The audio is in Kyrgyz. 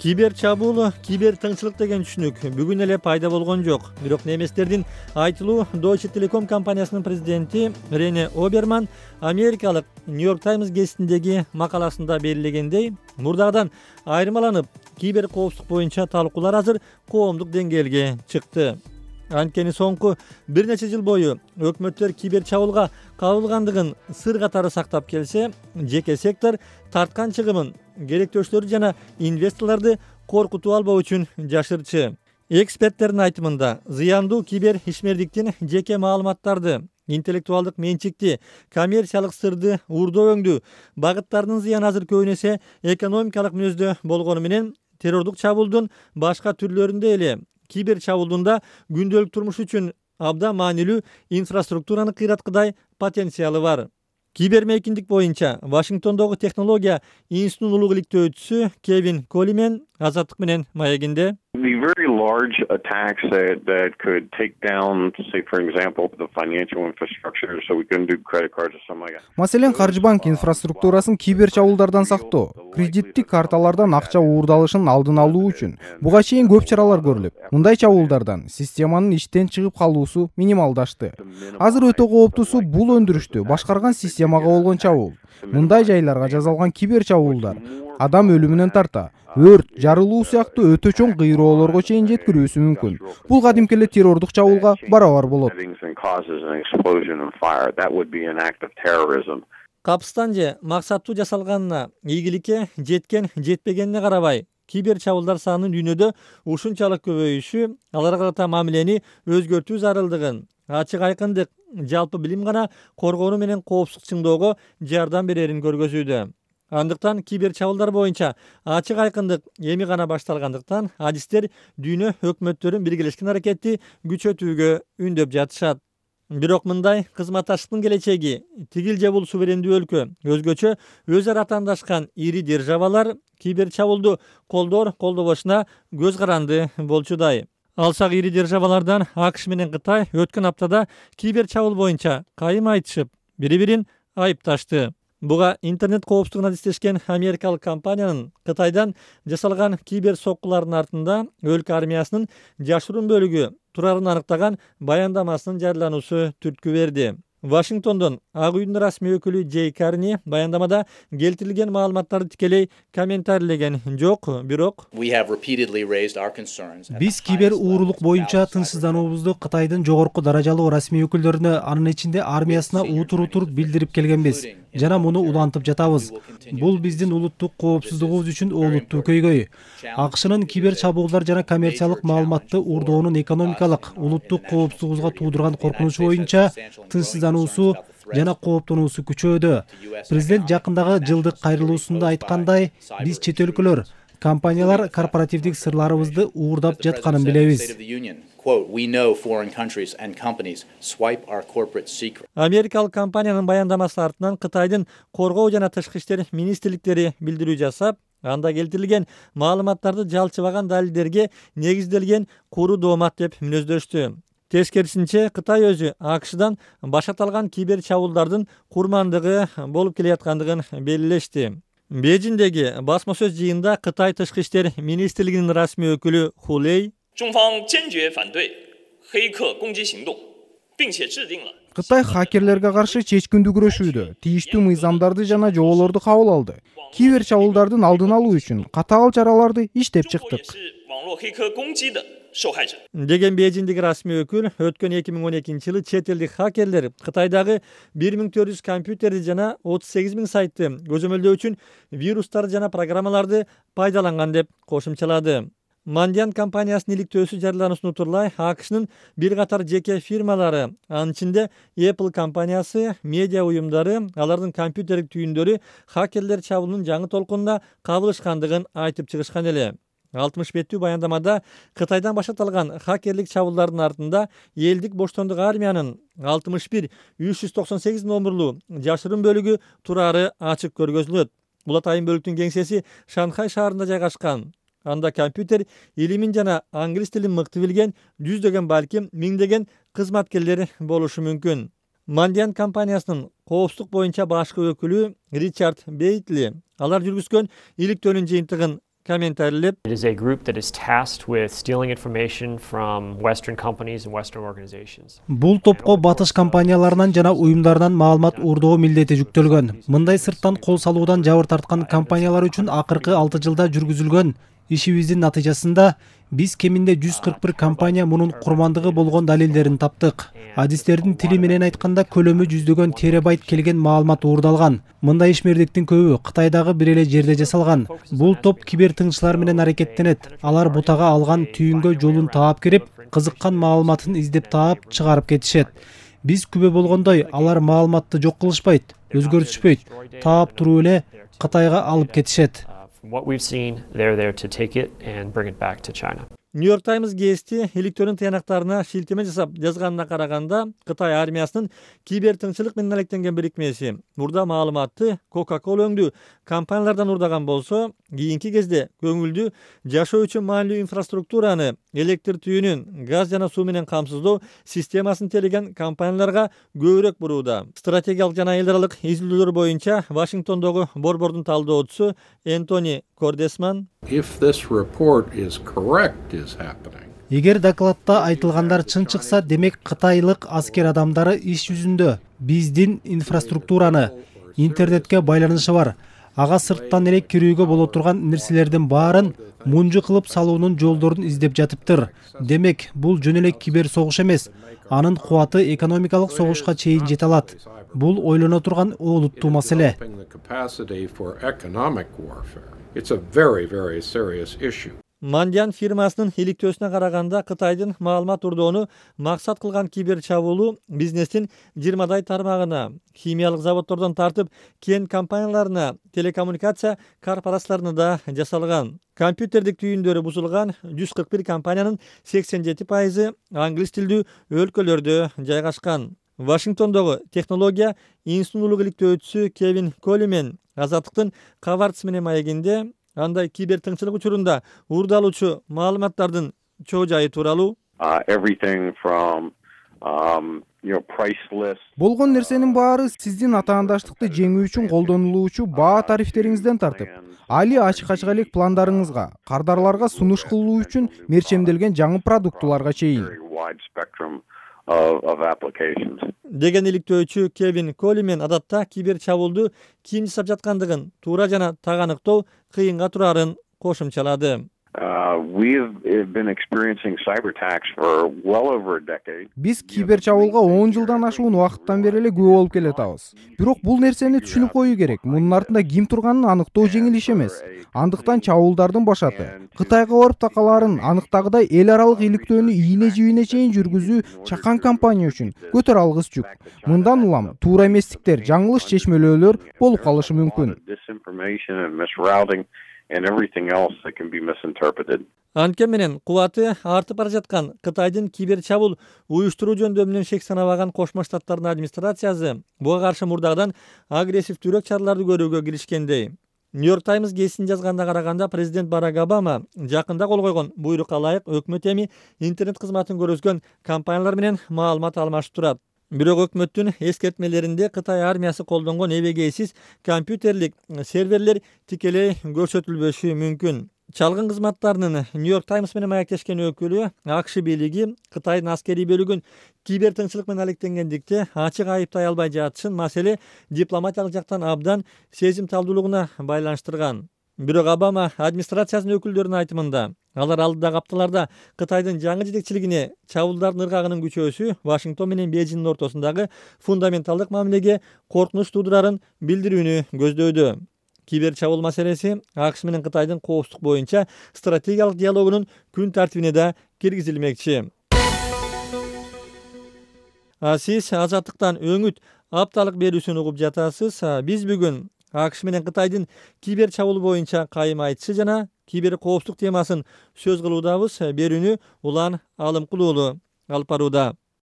Кибер чабуул, кибер тыңчылык деген түшүнүк бүгүн эле пайда болгон жок. Бирок немистердин айтылуу Deutsche Telekom компаниясынын президенти Рене Оберман америкалык New York Times гезитиндеги макаласында белгилегендей, мурдагыдан айырмаланып, кибер коопсуздук боюнча талкуулар азыр коомдук деңгээлге чыкты. Анткени соңку бир нече жыл бою өкмөттөр кибер чабуулга кабылгандыгын сыр катары сактап келсе, жеке сектор тарткан чыгымын керектөөчүлөрү жана инвесторлорду коркутуп албоо үчүн жашырчы. Эксперттердин айтымында, зыяндуу кибер ишмердиктин жеке маалыматтарды, интеллектуалдык менчикти, коммерциялык сырды уурдоо-өңдүү багыттарынын зыяны азыр көбүн эсе экономикалык мүнөздө болгону менен террордук чабуулдун башка түрлөрүндө эле кибер чабуулдун да күндөлүк турмуш үчүн абдан маанилүү инфраструктураны кыйраткыдай потенциалы бар. Кибермейкиндик боюнча Вашингтондогу технология институтунун улуг иликтөөчүсү Кевин Колимен Азаттык менен маегинде The very large attacks that could take down, say, for example, the financial infrastructure, so we couldn't do credit cards or something like that. Маселен, каржы банк инфраструктурасын кибер чабуулдардан сактоо, кредиттик карталардан акча уурдалышын алдын алуу үчүн буга чейин көп чаралар көрүлүп, мындай чабуулдардан системанын иштен чыгып калуусу минималдашты. Азыр өтө кооптуусу бул өндүрүштү башкарган системага болгон чабуул. Мындай жайларга жасалган кибер чабуулдар адам өлүмүнөн тарта, өрт, жарылуу сыяктуу өтө чоң кыйроолорго чейин жеткирүүсү мүмкүн. Бул кадимки эле террордук чабуулга барабар болот. Капыстан же максаттуу жасалганына, ийгиликке жеткен жетпегенине карабай, кибер чабуулдар санынын дүйнөдө ушунчалык көбөйүшү аларга карата мамилени өзгөртүү зарылдыгын, ачык айкындык, жалпы билим гана коргонуу менен коопсуздук чыңдоого жардам берерин көргөзүүдө. Андыктан кибер чабуулдар боюнча ачык айкындык эми гана башталгандыктан адистер дүйнө өкмөттөрүн биргелешкен аракетти күчөтүүгө үндөп жатышат. Бирок мындай кызматташтыктын келечеги тигил же бул суверендүү өлкө өзгөчө өз ара атаандашкан ири державалар кибер чабуулду колдобошуна көз каранды болчудай. Алсак ири державалардан АКШ менен Кытай өткөн аптада кибер чабуул боюнча кайым айтышып, бири-бирин айыпташты. Буга интернет коопсуздугун адистешкен америкалык компаниянын Кытайдан жасалган кибер соккулардын артында өлкө армиясынын жашыруун бөлүгү турарын аныктаган баяндамасынын жарыялануусу түрткү берди. Вашингтондон Ак үйдүн расмий өкүлү Джей Карни баяндамада келтирилген маалыматтарды тикелей комментарийлеген жок, бирок биз кибер уурулук боюнча тынчсыздануубузду Кытайдын жогорку даражалуу расмий өкүлдөрүнө, анын ичинде армиясына утур билдирип келгенбиз жана муну улантып жатабыз. Бул биздин улуттук коопсуздугубуз үчүн олуттуу көйгөй. АКШнын кибер чабуулдар жана коммерциялык маалыматты уурдоонун экономикалык, улуттук коопсуздугубузга туудурган коркунучу боюнча тынчсыздануусу жана кооптонуусу күчөөдө. Президент жакындагы жылдык кайрылуусунда айткандай, биз чет өлкөлөр, компаниялар корпоративдик сырларыбызды уурдап жатканын билебиз. Америкалык компаниянын баяндамасы артынан Кытайдын коргоо жана тышкы иштер министрликтери билдирүү жасап, анда келтирилген маалыматтарды жалчыбаган далилдерге негизделген куру доомат деп мүнөздөштү. Тескерисинче, Кытай өзү АКШдан баш аталган кибер чабуулдардын курмандыгы болуп келаткандыгын белгилешти. Бейжиңдеги басма сөз жыйында Кытай тышкы иштер министрлигинин расмий өкүлү Хулей Кытай хакерлерге каршы чечкиндүү күрөшүүдө тийиштүү мыйзамдарды жана жоболорду кабыл алды. Кибер чабуулдардын алдын алуу үчүн катаал чараларды иштеп чыктык деген Бейжиңдеги расмий өкүл өткөн 2012-жылы чет элдик хакерлер Кытайдагы 1400 компьютерди жана 38 000 сайтты көзөмөлдөө үчүн вирустар жана программаларды пайдаланган деп кошумчалады. Mandiant компаниясынын иликтөөсү жарыялануусун утурлай АКШнын бир катар жеке фирмалары, анын ичинде Apple компаниясы, медиа уюмдары, алардын компьютердик түйүндөрү хакерлер чабуулунун жаңы толкунуна кабылышкандыгын айтып чыгышкан эле. 60 беттүү баяндамада Кытайдан башталган хакерлик чабуулдардын артында элдик боштондук армиянын 61-398 номурлуу жашыруун бөлүгү турары ачык көргөзүлөт. Бул атайын бөлүктүн кеңсеси Шанхай шаарында жайгашкан. Анда компьютер илимин жана англис тилин мыкты билген жүздөгөн, балким миңдеген кызматкерлер болушу мүмкүн. Mandiant компаниясынын коопсуздук боюнча башкы өкүлү Ричард Бейтли алар жүргүзгөн иликтөөнүн жыйынтыгын комментарийлеп, It is a group that is tasked with stealing information from Western companies and Western organizations. Бул топко батыш компанияларынан жана уюмдарынан маалымат уурдоо милдети жүктөлгөн. Мындай сырттан кол салуудан жабыр тарткан компаниялар үчүн акыркы 6 жылда жүргүзүлгөн ишибиздин натыйжасында биз кеминде 141 компания мунун курмандыгы болгон далилдерин таптык. Адистердин тили менен айтканда көлөмү жүздөгөн терабайт келген маалымат уурдалган. Мындай ишмердиктин көбү Кытайдагы бир эле жерде жасалган. Бул топ кибертыңчылар менен аракеттенет. Алар бутага алган түйүнгө жолун таап кирип, кызыккан маалыматын издеп таап чыгарып кетишет. Биз күбө болгондой, алар маалыматты жок кылышпайт, өзгөртүшпөйт, таап туруп эле Кытайга алып кетишет. From what we've seen, they're there to take it and bring it back to China. New York Times гезити электронун тыянактарына шилтеме жасап жазганына караганда, Кытай армиясынын кибертыңчылык менен алектенген бирикмеси мурда маалыматты Coca-Cola өңдүү компаниялардан урдаган болсо, кийинки кезде көңүлдүү жашоо үчүн маанилүү инфраструктураны, электр түйүнүн, газ жана суу менен камсыздоо системасын тейлеген компанияларга көбүрөөк бурууда. Стратегиялык жана эл аралык изилдөөлөр боюнча Вашингтондогу борбордун талдоочусу Энтони Кордесман, If this report is correct is happening, Эгер докладта айтылгандар чын чыкса, демек кытайлык аскер адамдары иш жүзүндө биздин инфраструктураны, интернетке байланышы бар. Ага сырттан эле кирүүгө боло турган нерселердин баарын мунжу кылып салуунун жолдорун издеп жатыптыр. Демек, бул жөн эле кибер согуш эмес. Анын кубаты экономикалык согушка чейин жете алат. Бул ойлоно турган олуттуу маселе. developing the capacity for economic warfare. It's a very, very serious issue. Мандиан фирмасынын иликтөөсүнө караганда, Кытайдын маалымат урдоону максат кылган кибер чабуулу бизнестин 20дай тармагына, химиялык заводдордон тартып, кен компанияларына, телекоммуникация корпорацияларына да жасалган. Компьютердик түйүндөрү бузулган 141 компаниянын 87% англис тилдүү өлкөлөрдө жайгашкан. Вашингтондогу технология институтунун иликтөөчүсү Кевин Колимен Азаттыктын кабарчысы менен маегинде андай кибертыңчылык учурунда уурдалуучу маалыматтардын чоо жайы тууралуу Everything from price lists. Болгон нерсенин баары сиздин атаандаштыкты жеңүү үчүн колдонулуучу баа тарифтериңизден тартып, али ачык-ачык элек пландарыңызга, кардарларга сунуш кылуу үчүн мерчемделген жаңы продуктуларга чейин. Very wide spectrum of applications. деген иликтөөчү Кевин Колимен адатта кибер чабуулду ким жасап жаткандыгын туура жана таганыктоо кыйынга турарын кошумчалады. We've been experiencing cyber attacks for well over a decade. Биз кибер чабуулга 10 жылдан ашуун убакыттан бери эле күбө болуп келатабыз. Бирок бул нерсени түшүнүп коюу керек. Мунун артында ким турганын аныктоо жеңил иш эмес. Андыктан чабуулдардын башаты Кытайга барып такалаарын аныктагыдай эл аралык иликтөөнү ийне-жийине чейин жүргүзүү чакан компания үчүн көтөр алгыс жүк. Мындан улам туура эместиктер, жаңылыш чечмелөөлөр болуп калышы мүмкүн. Disinformation and misrouting and everything else that can be misinterpreted. Анткени менен кубаты артып бара жаткан Кытайдын кибер чабуул уюштуруу жөндөмүнөн шек санабаган Кошмо Штаттардын администрациясы буга каршы мурдагыдан агрессивдүүрөөк чараларды көрүүгө киришкендей. New York Times гезитинин жазганына караганда, президент Барак Обама жакында кол койгон буйрукка ылайык өкмөт эми интернет кызматын көрсөткөн компаниялар менен маалымат алмашып турат. Бирок өкмөттүн эскертмелеринде Кытай армиясы колдонгон эбегейсиз компьютерлик серверлер тикелей көрсөтүлбөшү мүмкүн. Чалгын кызматтарынын New York Times менен маектешкен өкүлү АКШ бийлиги Кытайдын аскерий бөлүгүн кибертыңчылык менен алектенгендикте ачык айыптай албай жатышын маселе дипломатиялык жактан абдан сезимталдуулугуна байланыштырган. Бирок Обама администрациясынын өкүлдөрүнүн айтымында, алар алдыдагы апталарда Кытайдын жаңы жетекчилигине чабуулдардын ыргагынын күчөөсү Вашингтон менен Бейжиңдин ортосундагы фундаменталдык мамилеге коркунуч туудурарын билдирүүнү көздөйдү. Кибер чабуул маселеси АКШ менен Кытайдын коопсуздук боюнча стратегиялык диалогунун күн тартибине да киргизилмекчи. Сиз Азаттыктан өңүт апталык берүүсүн угуп жатасыз. Биз бүгүн АКШ менен Кытайдын кибер чабуул боюнча кайым айтышы жана кибер коопсуздук темасын сөз кылуудабыз. Берүүнү Улан Алымкулуулу алып барууда.